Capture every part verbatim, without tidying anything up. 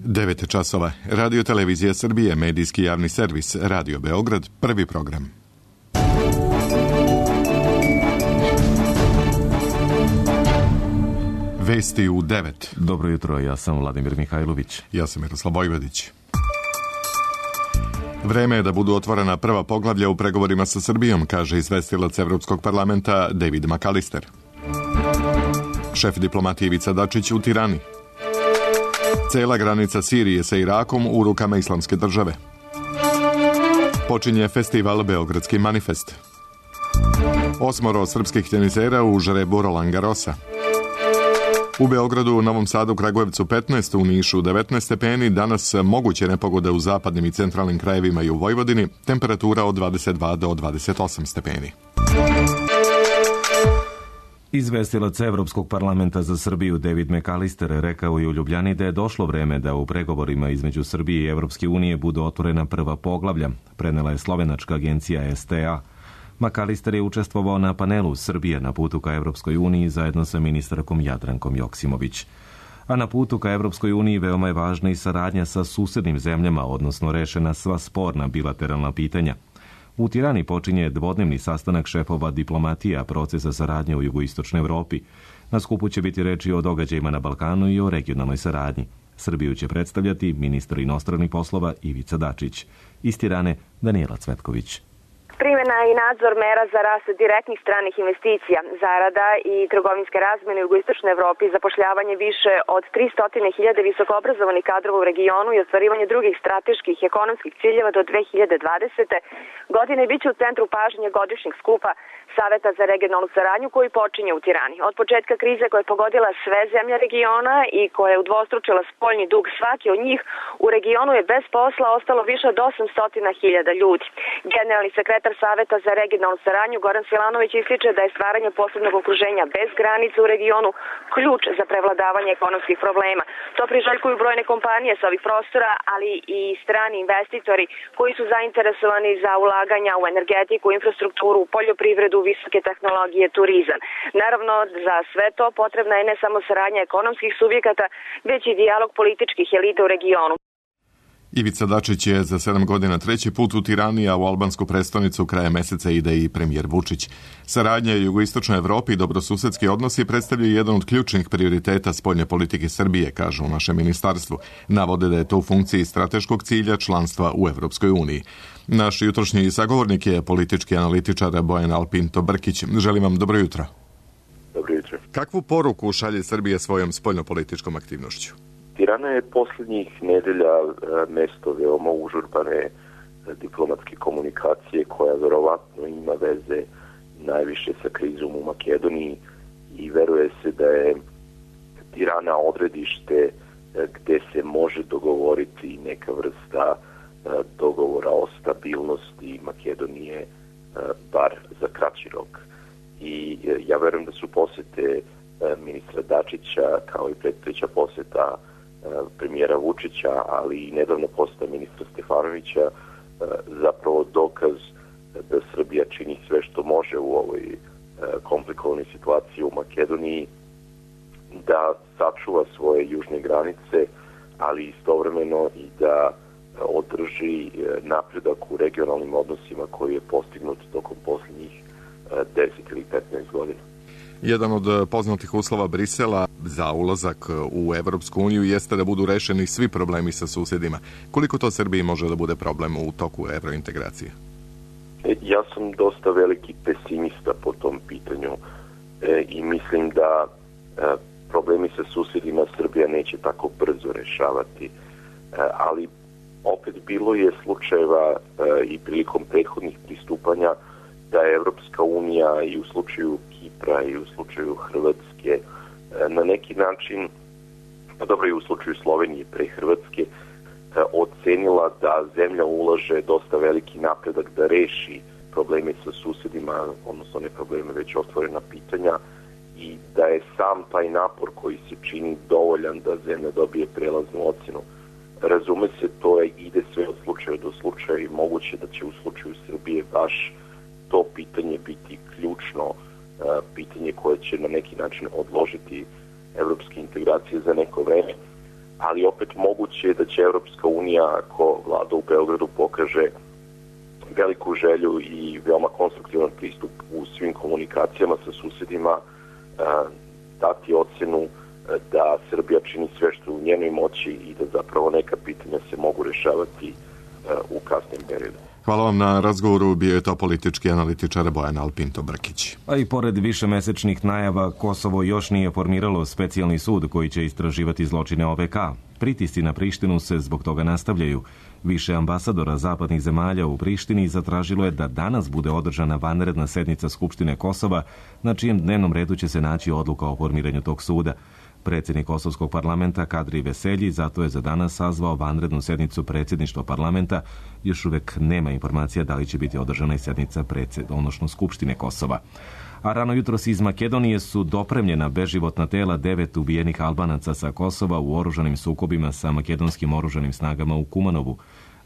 devet časova. Radio Televizija Srbije, medijski javni servis, Radio Beograd, prvi program. Vesti u devet. Dobro jutro, ja sam Vladimir Mihajlović. Ja sam Miroslav Vojvodić. Vreme je da budu otvorena prva poglavlja u pregovorima sa Srbijom, kaže izvestilac Evropskog parlamenta David McAllister. Šef diplomatije Ivica Dačić u Tirani. Cela granica Sirije sa Irakom u rukama Islamske države. Počinje festival Beogradski manifest. Osmoro srpskih tenisera u žrebu Roland Garrosa. U Beogradu, u Novom Sadu, Kragujevcu petnaest, u Nišu devetnaest stepeni, danas moguće nepogode u zapadnim i centralnim krajevima i u Vojvodini, temperatura od dvadeset dva do dvadeset osam stepeni. Izvestilac Evropskog parlamenta za Srbiju David McAllister rekao je u Ljubljani da je došlo vreme da u pregovorima između Srbije i Evropske unije budu otvorena prva poglavlja, prenela je slovenačka agencija S T A. McAllister je učestvovao na panelu Srbije na putu ka Evropskoj uniji zajedno sa ministarkom Jadrankom Joksimović. A na putu ka Evropskoj uniji veoma je važna i saradnja sa susednim zemljama, odnosno rešena sva sporna bilateralna pitanja. U Tirani počinje dvodnevni sastanak šefova diplomatija procesa saradnje u jugoistočnoj Evropi. Na skupu će biti reči o događajima na Balkanu i o regionalnoj saradnji. Srbiju će predstavljati ministar inostranih poslova Ivica Dačić. Iz Tirane Danijela Cvetković. Primjena i nadzor mera za rast direktnih stranih investicija, zarada i trgovinske razmene u jugoistočnoj Evropi, zapošljavanje više od tristo hiljada visokoobrazovanih kadrova u regionu i ostvarivanje drugih strateških ekonomskih ciljeva do dve hiljade dvadesete. godine biće u centru pažnje godišnjeg skupa Saveta za regionalnu saradnju koji počinje u Tirani. Od početka krize koja je pogodila sve zemlje regiona i koja je udvostručila spoljni dug svaki od njih, u regionu je bez posla ostalo više od osamsto hiljada ljudi. Generalni sekretar Saveta za regionalnu saradnju Goran Silanović ističe da je stvaranje posebnog okruženja bez granica u regionu ključ za prevladavanje ekonomskih problema. To priželjkuju brojne kompanije sa ovih prostora, ali i strani investitori koji su zainteresovani za ulaganja u energetiku, infrastrukturu, poljoprivredu, visoke tehnologije, turizam. Naravno, za sve to potrebna je ne samo saradnja ekonomskih subjekata, već i dijalog političkih elita u regionu. Ivica Dačić je za sedam godina treći put u Tirani, a u albansku prestonicu krajem meseca ide i premijer Vučić. Saradnja u jugoistočnoj Evropi i dobrosusedski odnosi predstavljaju jedan od ključnih prioriteta spoljne politike Srbije, kažu u našem ministarstvu. Navode da je to u funkciji strateškog cilja članstva u Evropskoj uniji. Naš jutrošnji sagovornik je politički analitičar Bojan Alpinto Brkić. Želim vam dobro jutro. Dobro jutro. Kakvu poruku šalje Srbija svojom spoljnopolitičkom aktivnošću? Tirana je posljednjih nedelja mesto veoma užurbane diplomatske komunikacije koja verovatno ima veze najviše sa krizom u Makedoniji i veruje se da je Tirana odredište gde se može dogovoriti neka vrsta dogovora o stabilnosti Makedonije, bar za kraći rok. I ja verujem da su posete ministra Dačića kao i predstojeća poseta premijera Vučića, ali i nedavno poseta ministra Stefanovića zapravo dokaz da Srbija čini sve što može u ovoj komplikovanoj situaciji u Makedoniji, da sačuva svoje južne granice, ali istovremeno i da održi napredak u regionalnim odnosima koji je postignut tokom posljednjih deset ili petnaest godina. Jedan od poznatih uslova Brisela za ulazak u Evropsku uniju jeste da budu rešeni svi problemi sa susjedima. Koliko to Srbiji može da bude problem u toku evrointegracije? Ja sam dosta veliki pesimista po tom pitanju e, i mislim da e, problemi sa susjedima Srbija neće tako brzo rešavati. E, ali opet bilo je slučajeva e, i prilikom prethodnih pristupanja da je Evropska unija i u slučaju Kipra i u slučaju Hrvatske na neki način, pa dobro i u slučaju Slovenije pre Hrvatske, ocenila da zemlja ulaže dosta veliki napredak da reši probleme sa susjedima, odnosno ne probleme, već otvorena pitanja, i da je sam taj napor koji se čini dovoljan da zemlja dobije prelaznu ocenu. Razume se, to je, ide sve od slučaja do slučaja i moguće da će u slučaju Srbije baš to pitanje biti ključno pitanje koje će na neki način odložiti evropske integracije za neko vreme. Ali opet moguće da će Evropska unija, ako vlada u Beogradu pokaže veliku želju i veoma konstruktivan pristup u svim komunikacijama sa susedima, dati ocenu da Srbija čini sve što u njenoj moći i da zapravo neka pitanja se mogu rešavati u kasnim periodu. Hvala vam na razgovoru, bio je to politički analitičar Bojan Alpinto-Brkić. A i pored višemesečnih najava, Kosovo još nije formiralo specijalni sud koji će istraživati zločine O V K. Pritisci na Prištinu se zbog toga nastavljaju. Više ambasadora zapadnih zemalja u Prištini zatražilo je da danas bude održana vanredna sednica Skupštine Kosova, na čijem dnevnom redu će se naći odluka o formiranju tog suda. Predsjednik Kosovskog parlamenta Kadri Veselji zato je za danas sazvao vanrednu sednicu predsjedništva parlamenta. Još uvek nema informacija da li će biti održana i sednica odnosno Skupštine Kosova. A rano jutros iz Makedonije su dopremljena beživotna tela devet ubijenih Albanaca sa Kosova u oružanim sukobima sa makedonskim oružanim snagama u Kumanovu.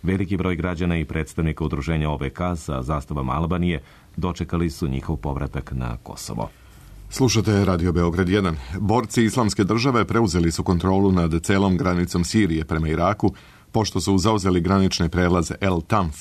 Veliki broj građana i predstavnika udruženja O V K sa zastavama Albanije dočekali su njihov povratak na Kosovo. Slušate Radio Beograd jedan. Borci Islamske države preuzeli su kontrolu nad celom granicom Sirije prema Iraku, pošto su zauzeli granične prelaze El Tanf.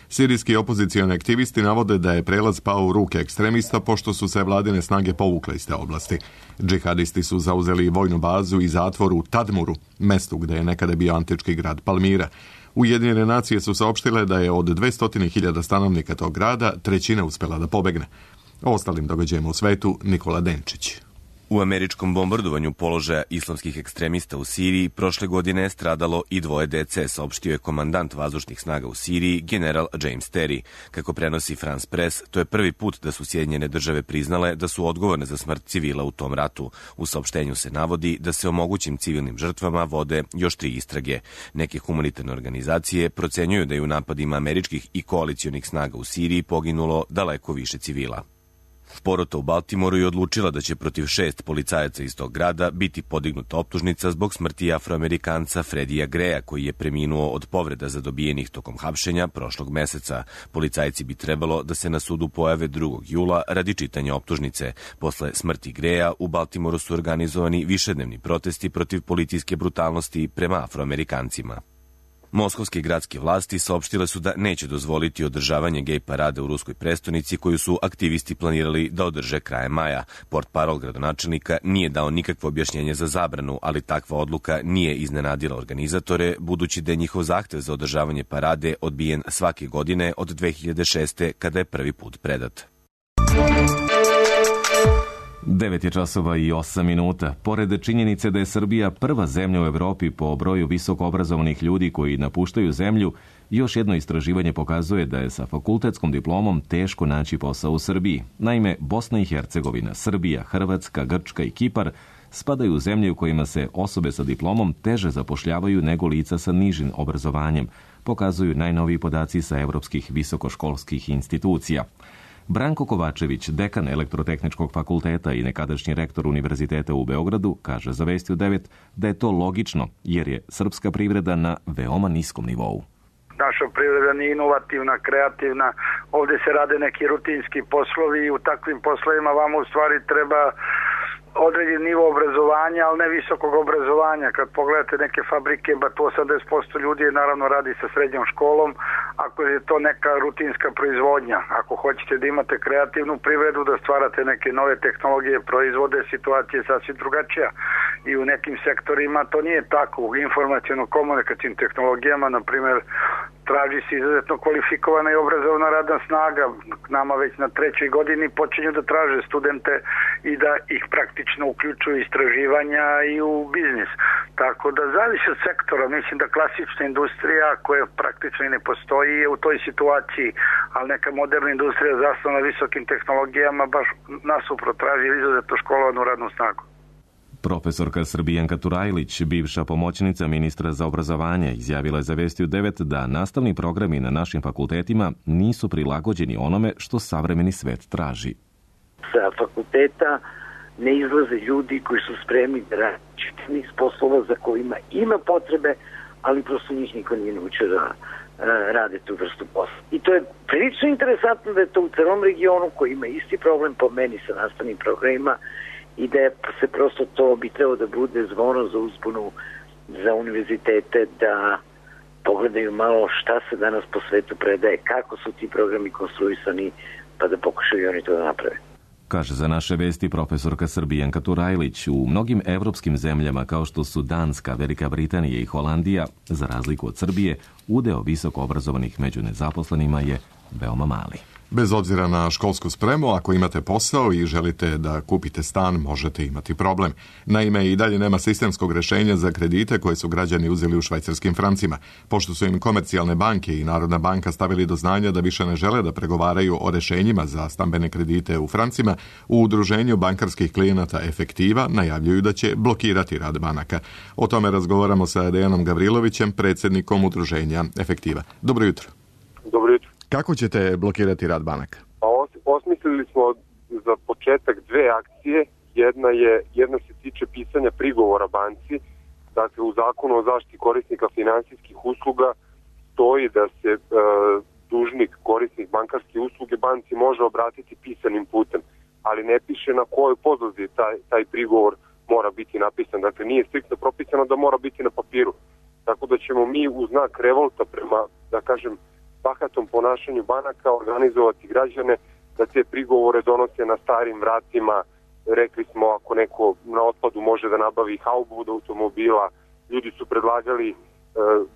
Sirijski opozicioni aktivisti navode da je prelaz pao u ruke ekstremista, pošto su se vladine snage povukle iz te oblasti. Džihadisti su zauzeli vojnu bazu i zatvor u Tadmuru, mestu gde je nekada bio antički grad Palmira. Ujedinjene nacije su saopštile da je od dvesta hiljada stanovnika tog grada trećina uspela da pobegne. O ostalim događajima u svetu Nikola Denčić. U američkom bombardovanju položaja islamskih ekstremista u Siriji prošle godine je stradalo i dvoje dece, saopštio je komandant vazdušnih snaga u Siriji, general James Terry. Kako prenosi France Press, to je prvi put da su Sjedinjene države priznale da su odgovorne za smrt civila u tom ratu. U saopštenju se navodi da se o mogućim civilnim žrtvama vode još tri istrage. Neke humanitarne organizacije procenjuju da je u napadima američkih i koalicionih snaga u Siriji poginulo daleko više civila. Porota u Baltimoru je odlučila da će protiv šest policajaca iz tog grada biti podignuta optužnica zbog smrti Afroamerikanca Fredija Greja, koji je preminuo od povreda zadobijenih tokom hapšenja prošlog meseca. Policajci bi trebalo da se na sudu pojave drugog jula radi čitanja optužnice. Posle smrti Greja u Baltimoru su organizovani višednevni protesti protiv policijske brutalnosti prema Afroamerikancima. Moskovske gradske vlasti saopštile su da neće dozvoliti održavanje gej parade u ruskoj prestonici koju su aktivisti planirali da održe krajem maja. Portparol gradonačelnika nije dao nikakvo objašnjenje za zabranu, ali takva odluka nije iznenadila organizatore, budući da je njihov zahtev za održavanje parade odbijen svake godine od dve hiljade šeste. kada je prvi put predat. devet je časova i osam minuta. Pored činjenice da je Srbija prva zemlja u Evropi po broju visoko obrazovanih ljudi koji napuštaju zemlju, još jedno istraživanje pokazuje da je sa fakultetskom diplomom teško naći posao u Srbiji. Naime, Bosna i Hercegovina, Srbija, Hrvatska, Grčka i Kipar spadaju u zemlje u kojima se osobe sa diplomom teže zapošljavaju nego lica sa nižim obrazovanjem, pokazuju najnoviji podaci sa evropskih visokoškolskih institucija. Branko Kovačević, dekan Elektrotehničkog fakulteta i nekadašnji rektor Univerziteta u Beogradu, kaže za Vesti u devet da je to logično, jer je srpska privreda na veoma niskom nivou. Naša privreda nije inovativna, kreativna, ovdje se rade neki rutinski poslovi i u takvim poslovima vama u stvari treba određen nivo obrazovanja, ali ne visokog obrazovanja. Kad pogledate neke fabrike, ba to osamdeset posto ljudi je naravno radi sa srednjom školom, ako je to neka rutinska proizvodnja. Ako hoćete da imate kreativnu privredu, da stvarate neke nove tehnologije, proizvode, situacija je sasvim drugačija. I u nekim sektorima to nije tako. U informaciono-komunikacijnim tehnologijama, na primjer, traži se izuzetno kvalifikovana i obrazovna radna snaga. Nama već na trećoj godini počinju da traže studente i da ih praktično uključuju istraživanja i u biznis. Tako da zavisi od sektora. Mislim da klasična industrija koja praktično i ne postoji je u toj situaciji, ali neka moderna industrija zasnovana na visokim tehnologijama baš nasuprot traži izuzetno školovanu radnu snagu. Profesorka Srbijanka Turajlić, bivša pomoćnica ministra za obrazovanje, izjavila je za Vesti u devet da nastavni programi na našim fakultetima nisu prilagođeni onome što savremeni svet traži. Sa fakulteta ne izlaze ljudi koji su spremni da rade čitav niz poslova za kojima ima potrebe, ali prosto njih niko nije naučio da rade tu vrstu posla. I to je prilično interesantno da je to u celom regionu koji ima isti problem po meni sa nastavnim programima i da se prosto to bi trebalo da bude zvono za uzbunu za univerzitete da pogledaju malo šta se danas po svetu predaje, kako su ti programi konstruisani, pa da pokušaju oni to da naprave. Kaže za naše vesti profesorka Srbijanka Turajlić. U mnogim evropskim zemljama kao što su Danska, Velika Britanija i Holandija, za razliku od Srbije, udeo visoko obrazovanih među nezaposlenima je veoma mali. Bez obzira na školsku spremu, ako imate posao i želite da kupite stan, možete imati problem. Naime, i dalje nema sistemskog rešenja za kredite koje su građani uzeli u švajcarskim francima. Pošto su im komercijalne banke i Narodna banka stavili do znanja da više ne žele da pregovaraju o rešenjima za stambene kredite u francima, u udruženju bankarskih klijenata Efektiva najavljuju da će blokirati rad banaka. O tome razgovaramo sa Dejanom Gavrilovićem, predsjednikom udruženja Efektiva. Dobro jutro. Dobro jutro. Kako ćete blokirati rad banaka? Pa osmislili smo za početak dve akcije. Jedna je jedna se tiče pisanja prigovora banci. Dakle, u zakonu o zaštiti korisnika finansijskih usluga stoji da se e, dužnik, korisnik bankarske usluge banci može obratiti pisanim putem, ali ne piše na kojoj podlozi taj, taj prigovor mora biti napisan. Dakle, nije striktno propisano da mora biti na papiru. Tako da ćemo mi u znak revolta prema, da kažem, bahatom ponašanju banaka organizovati građane da te prigovore donose na starim vratima. Rekli smo, ako neko na otpadu može da nabavi haubu od automobila, ljudi su predlagali uh,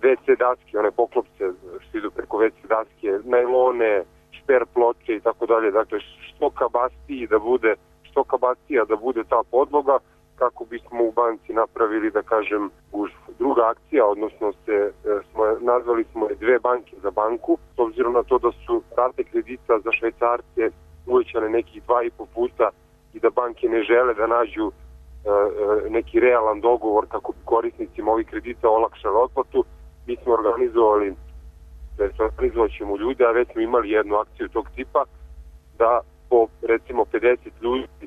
ve ce daske, one poklopce što idu preko ve ce daske, najlone, šper ploče i tako dalje. Dakle, što kabastiji da bude, što kabastija da bude ta podloga, kako bismo u banci napravili, da kažem, gužvu. Druga akcija, odnosno se, smo, nazvali smo je dve banke za banku, s obzirom na to da su rate kredita za Švajcarce uvećane nekih dva i po puta i da banke ne žele da nađu e, neki realan dogovor kako bi korisnicima ovih kredita olakšali otplatu. Mi smo organizovali, da se organizovat ćemo ljude, a već smo imali jednu akciju tog tipa, da po recimo pedeset ljudi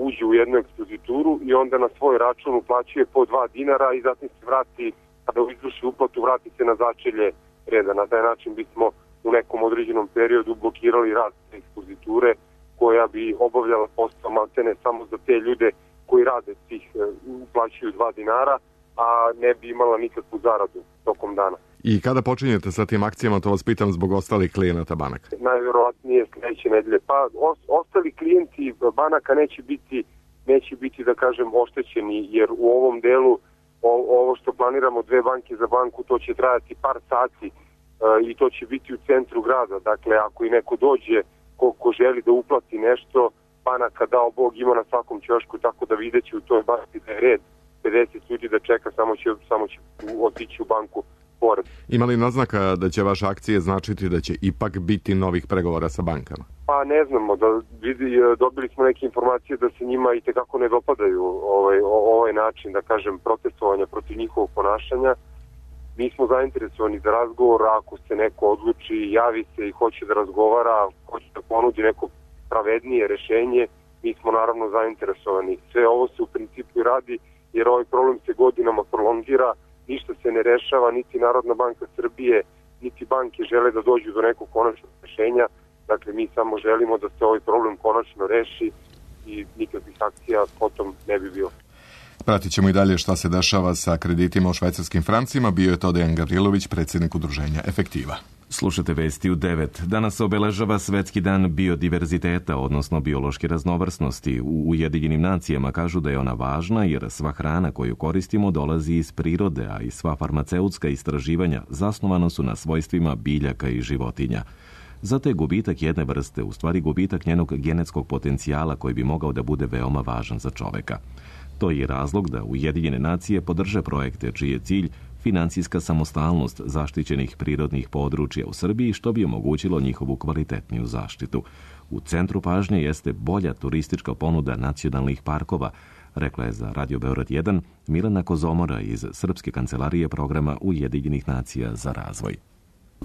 uđe u jednu ekspozituru i onda na svoj račun uplaćuje po dva dinara i zatim se vrati, kada izvrši uplatu, vrati se na začelje reda. Na taj način bismo u nekom određenom periodu blokirali rad ekspoziture koja bi obavljala posao maltene samo za te ljude koji rade tih, uplaćuju dva dinara, a ne bi imala nikakvu zaradu tokom dana. I kada počinjete sa tim akcijama, to vas pitam zbog ostalih klijenata banaka? Najvjerovatnije sljedeće nedelje. Pa os, ostali klijenti banaka neće biti, neće biti, da kažem, oštećeni, jer u ovom delu o, ovo što planiramo dve banke za banku, to će trajati par sati e, i to će biti u centru grada. Dakle, ako i neko dođe ko, ko želi da uplati nešto, banaka, dao Bog, ima na svakom ćošku, tako da videće u toj banki da je red pedeset ljudi da čeka, samo će, samo će otići u banku pored. Ima li naznaka da će vaše akcije značiti da će ipak biti novih pregovora sa bankama? Pa ne znamo, da vidi, dobili smo neke informacije da se njima i tekako ne dopadaju ovaj, ovaj način, da kažem, protestovanja protiv njihovog ponašanja. Mi smo zainteresovani za razgovor, ako se neko odluči, javi se i hoće da razgovara, hoće da ponudi neko pravednije rešenje, mi smo naravno zainteresovani. Sve ovo se u principu radi jer ovaj problem se godinama prolongira, ništa se ne rešava, niti Narodna banka Srbije, niti banke žele da dođu do nekog konačnog rešenja. Dakle, mi samo želimo da se ovaj problem konačno reši i nikakvih akcija potom ne bi bilo. Pratit ćemo i dalje šta se dešava sa kreditima u švajcarskim francima. Bio je to Dejan Gavrilović, predsjednik udruženja Efektiva. Slušate vesti u devet. Danas se obeležava Svetski dan biodiverziteta, odnosno biološke raznovrsnosti. U Ujedinjenim nacijama kažu da je ona važna jer sva hrana koju koristimo dolazi iz prirode, a i sva farmaceutska istraživanja zasnovana su na svojstvima biljaka i životinja. Zato je gubitak jedne vrste u stvari gubitak njenog genetskog potencijala koji bi mogao da bude veoma važan za čoveka. To je razlog da Ujedinjene nacije podrže projekte čiji je cilj finansijska samostalnost zaštićenih prirodnih područja u Srbiji, što bi omogućilo njihovu kvalitetniju zaštitu. U centru pažnje jeste bolja turistička ponuda nacionalnih parkova, rekla je za Radio Beograd jedan Milena Kozomora iz Srpske kancelarije programa Ujedinjenih nacija za razvoj.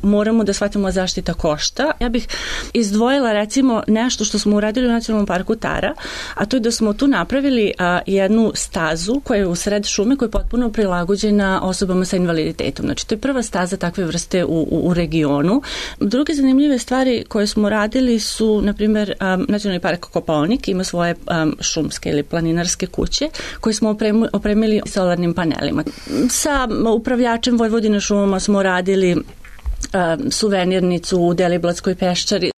Moramo da shvatimo zaštita košta. Ja bih izdvojila recimo nešto što smo uradili u Nacionalnom parku Tara, a to je da smo tu napravili a, jednu stazu koja je u sred šume koja je potpuno prilagođena osobama sa invaliditetom. Znači to je prva staza takve vrste u, u, u regionu. Druge zanimljive stvari koje smo radili su, na primjer, a, Nacionalni park Kopaonik ima svoje a, šumske ili planinarske kuće koje smo opremili, opremili solarnim panelima. Sa upravljačem Vojvodine šumama smo radili suvenirnicu u Deliblatskoj peščari.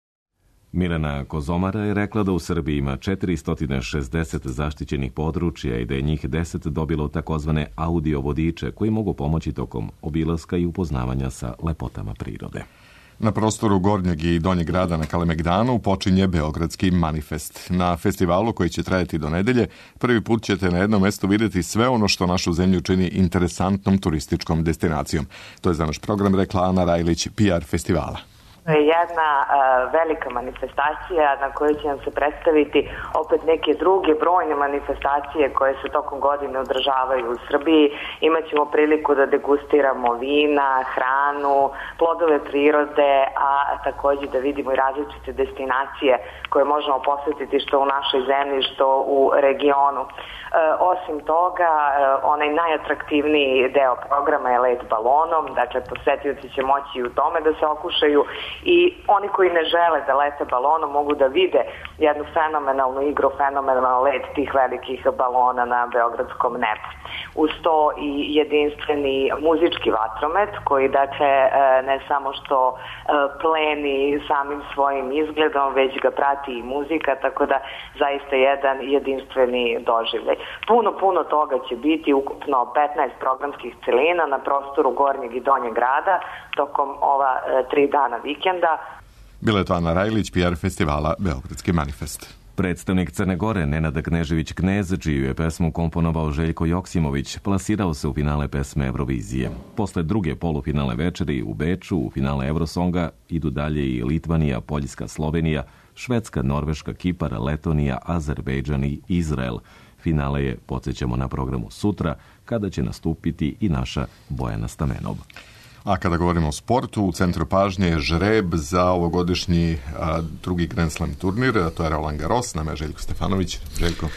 Milena Kozomara je rekla da u Srbiji ima četiristo šezdeset zaštićenih područja i da je njih deset dobilo takozvane audio vodiče koji mogu pomoći tokom obilaska i upoznavanja sa lepotama prirode. Na prostoru Gornjeg i Donjeg grada na Kalemegdanu počinje Beogradski manifest. Na festivalu koji će trajati do nedelje, prvi put ćete na jednom mestu vidjeti sve ono što našu zemlju čini interesantnom turističkom destinacijom. To je za naš program rekla Ana Rajlić, P R festivala. To je jedna uh, velika manifestacija na kojoj će nam se predstaviti opet neke druge brojne manifestacije koje se tokom godine održavaju u Srbiji. Imaćemo priliku da degustiramo vina, hranu, plodove prirode, a također da vidimo i različite destinacije koje možemo posjetiti što u našoj zemlji, što u regionu. E, osim toga, e, onaj najatraktivniji deo programa je let balonom, dakle posetioci će moći u tome da se okušaju i oni koji ne žele da lete balonom mogu da vide jednu fenomenalnu igru, fenomenalno let tih velikih balona na beogradskom nebu. Uz to i jedinstveni muzički vatromet koji dakle ne samo što pleni samim svojim izgledom, već ga prati i muzika, tako da zaista jedan jedinstveni doživljaj. Puno, puno toga će biti, ukupno petnaest programskih celina na prostoru Gornjeg i Donjeg grada tokom ova tri dana vikenda. Bila je to Ana Rajlić, P R festivala Beogradski manifest. Predstavnik Crne Gore, Nenad Knežević-Knez, čiju je pesmu komponovao Željko Joksimović, plasirao se u finale pesme Eurovizije. Posle druge polufinale večeri u Beču, u finale Eurosonga, idu dalje i Litvanija, Poljska, Slovenija, Švedska, Norveška, Kipar, Letonija, Azerbejdžan i Izrael. Finale je, podsjećamo, na programu sutra, kada će nastupiti i naša Bojana Stamenov. A kada govorimo o sportu, u centru pažnje je žreb za ovogodišnji a, drugi Grand Slam turnir, a to je Roland Garros, nama je Željko Stefanović. Željko.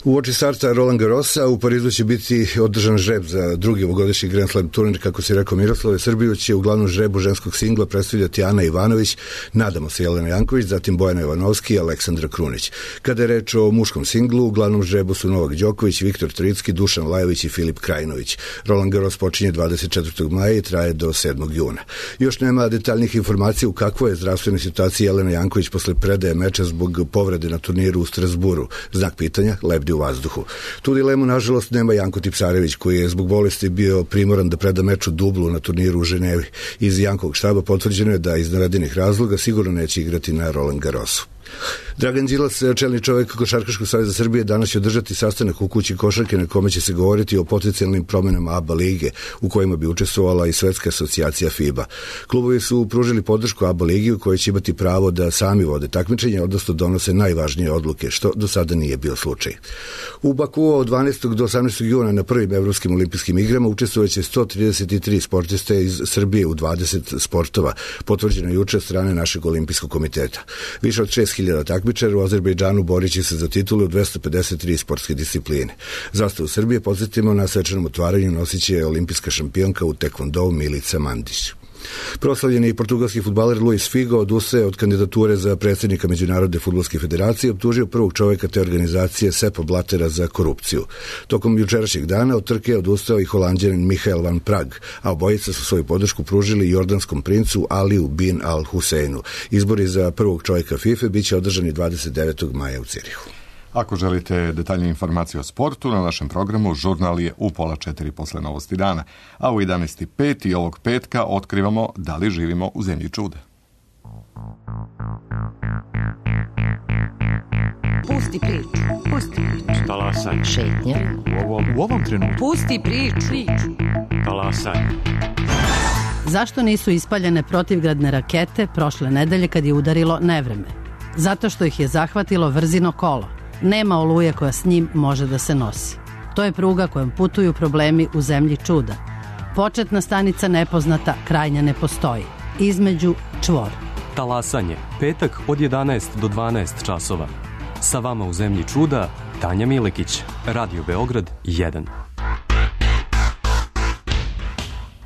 U oči starta Roland Garrosa u Parizu će biti održan žreb za drugi ovogodišnji Grand Slam turnir, kako si rekao Miroslave. Srbiju će u glavnom žrebu ženskog singla predstavljati Ana Ivanović, nadamo se Jelena Janković, zatim Bojana Jovanovski i Aleksandra Krunić. Kada je reč o muškom singlu, u glavnom žrebu su Novak Đoković, Viktor Tricki, Dušan Lajović i Filip Krajinović. Roland Garros počinje dvadeset četvrtog maja i traje do sedmog juna. Još nema detaljnih informacija u kakvoj je zdravstvenoj situaciji Jelena Janković posle predaje meča zbog povrede na turniru u Strasburu. Znak pitanja lebdi u vazduhu. Tu dilemu, nažalost, nema Janko Tipsarević, koji je zbog bolesti bio primoran da preda meč u dublu na turniru u Ženevi. Iz Jankovog štaba potvrđeno je da iz navedenih razloga sigurno neće igrati na Roland Garrosu. Dragan Đilas, čelni čovjek Košarkaškog saveza Srbije, danas će održati sastanak u kući košarke na kome će se govoriti o potencijalnim promenama A B A lige u kojima bi učestvovala i Svetska asocijacija FIBA. Klubovi su pružili podršku A B A ligi u kojoj će imati pravo da sami vode takmičenje, odnosno donose najvažnije odluke, što do sada nije bio slučaj. U Bakuu od dvanaestog do osamnaestog juna na prvim Evropskim olimpijskim igrama učestvovaće sto trideset tri sportiste iz Srbije u dvadeset sportova, potvrđeno juče od strane našeg olimpijskog komiteta. Više od šest hiljada takmičara u Azerbejdžanu borit će se za titulu u dvesta pedeset tri sportske discipline. Zastavu Srbije, podsjetimo, na svečanom otvaranju nosit će olimpijska šampionka u tekvondou Milica Mandić. Proslavljeni portugalski fudbaler Luis Figo odustaje od kandidature za predsjednika Međunarodne fudbalske federacije i optužio prvog čovjeka te organizacije Sepa Blatera za korupciju. Tokom jučerašnjeg dana od trke je odustao i Holanđanin Michael van Prag, a obojica su svoju podršku pružili jordanskom princu Aliju bin Al Huseinu. Izbori za prvog čovjeka FIFA biće održani dvadeset devetog maja u Cirihu. Ako želite detaljnije informacije o sportu, na našem programu žurnal je u pola četiri posle novosti dana, a u jedanaest i pet i ovog petka otkrivamo da li živimo u zemlji čuda. Pusti priču, pusti priču. Talasaj. Šetnja. U ovom, u ovom trenutku. Pusti priču. Talasaj. Zašto nisu ispaljene protivgradne rakete prošle nedelje kad je udarilo nevreme? Zato što ih je zahvatilo vrzino kolo. Nema oluje koja s njim može da se nosi. To je pruga kojom putuju problemi u zemlji čuda. Početna stanica nepoznata, krajnja ne postoji. između čvor. Talasanje, petak od jedanaest do dvanaest časova. Sa vama u zemlji čuda, Tanja Milekić, Radio Beograd jedan.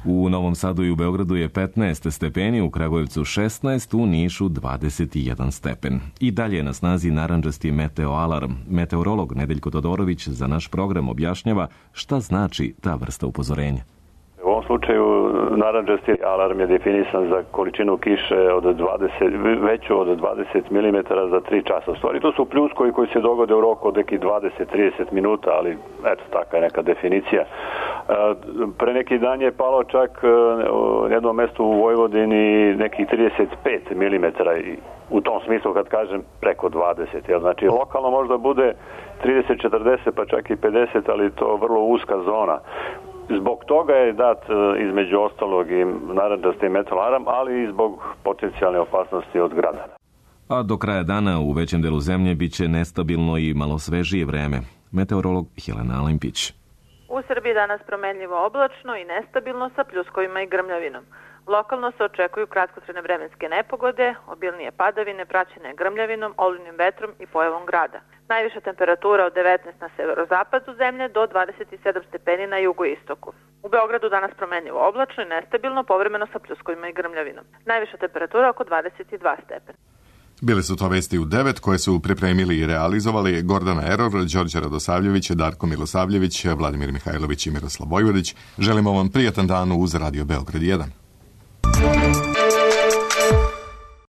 U Novom Sadu i u Beogradu je petnaest stepeni, u Kragujevcu šesnaest, u Nišu dvadeset jedan stepen. I dalje je na snazi narandžasti meteoalarm. Meteorolog Nedeljko Todorović za naš program objašnjava šta znači ta vrsta upozorenja. U ovom slučaju narandžasti alarm je definisan za količinu kiše od dvadeset, veću od dvadeset milimetara za tri časa. U stvari to su pljuskovi koji se dogode u roku od nekih dvadeset do trideset minuta, ali eto, taka je neka definicija. Pre neki dan je palo čak u jednom mestu u Vojvodini nekih trideset pet milimetara i u tom smislu kad kažem preko dvadeset. Jel? Znači lokalno možda bude trideset četrdeset pa čak i pedeset, ali to je vrlo uska zona. Zbog toga je dat između ostalog i narandžasti meteoalarm, ali i zbog potencijalne opasnosti od grada. A do kraja dana u većem delu zemlje biće nestabilno i malo svežije vreme. Meteorolog Helena Alimpić. U Srbiji danas promenljivo oblačno i nestabilno sa pljuskovima i grmljavinom. Lokalno se očekuju kratkotrajne vremenske nepogode, obilnije padavine praćene grmljavinom, olujnim vetrom i pojavom grada. Najviša temperatura od devetnaest na severozapadu zemlje do dvadeset sedam stepeni na jugoistoku. U Beogradu danas promenljivo oblačno i nestabilno, povremeno sa pljuskovima i grmljavinom. Najviša temperatura oko dvadeset dva stepena. Bili su to vesti u devet koje su pripremili i realizovali Gordana Eror, Đorđe Radosavljević, Darko Milosavljević, Vladimir Mihajlović i Miroslav Vojvodić. Želimo vam prijatan dan uz Radio Beograd jedan.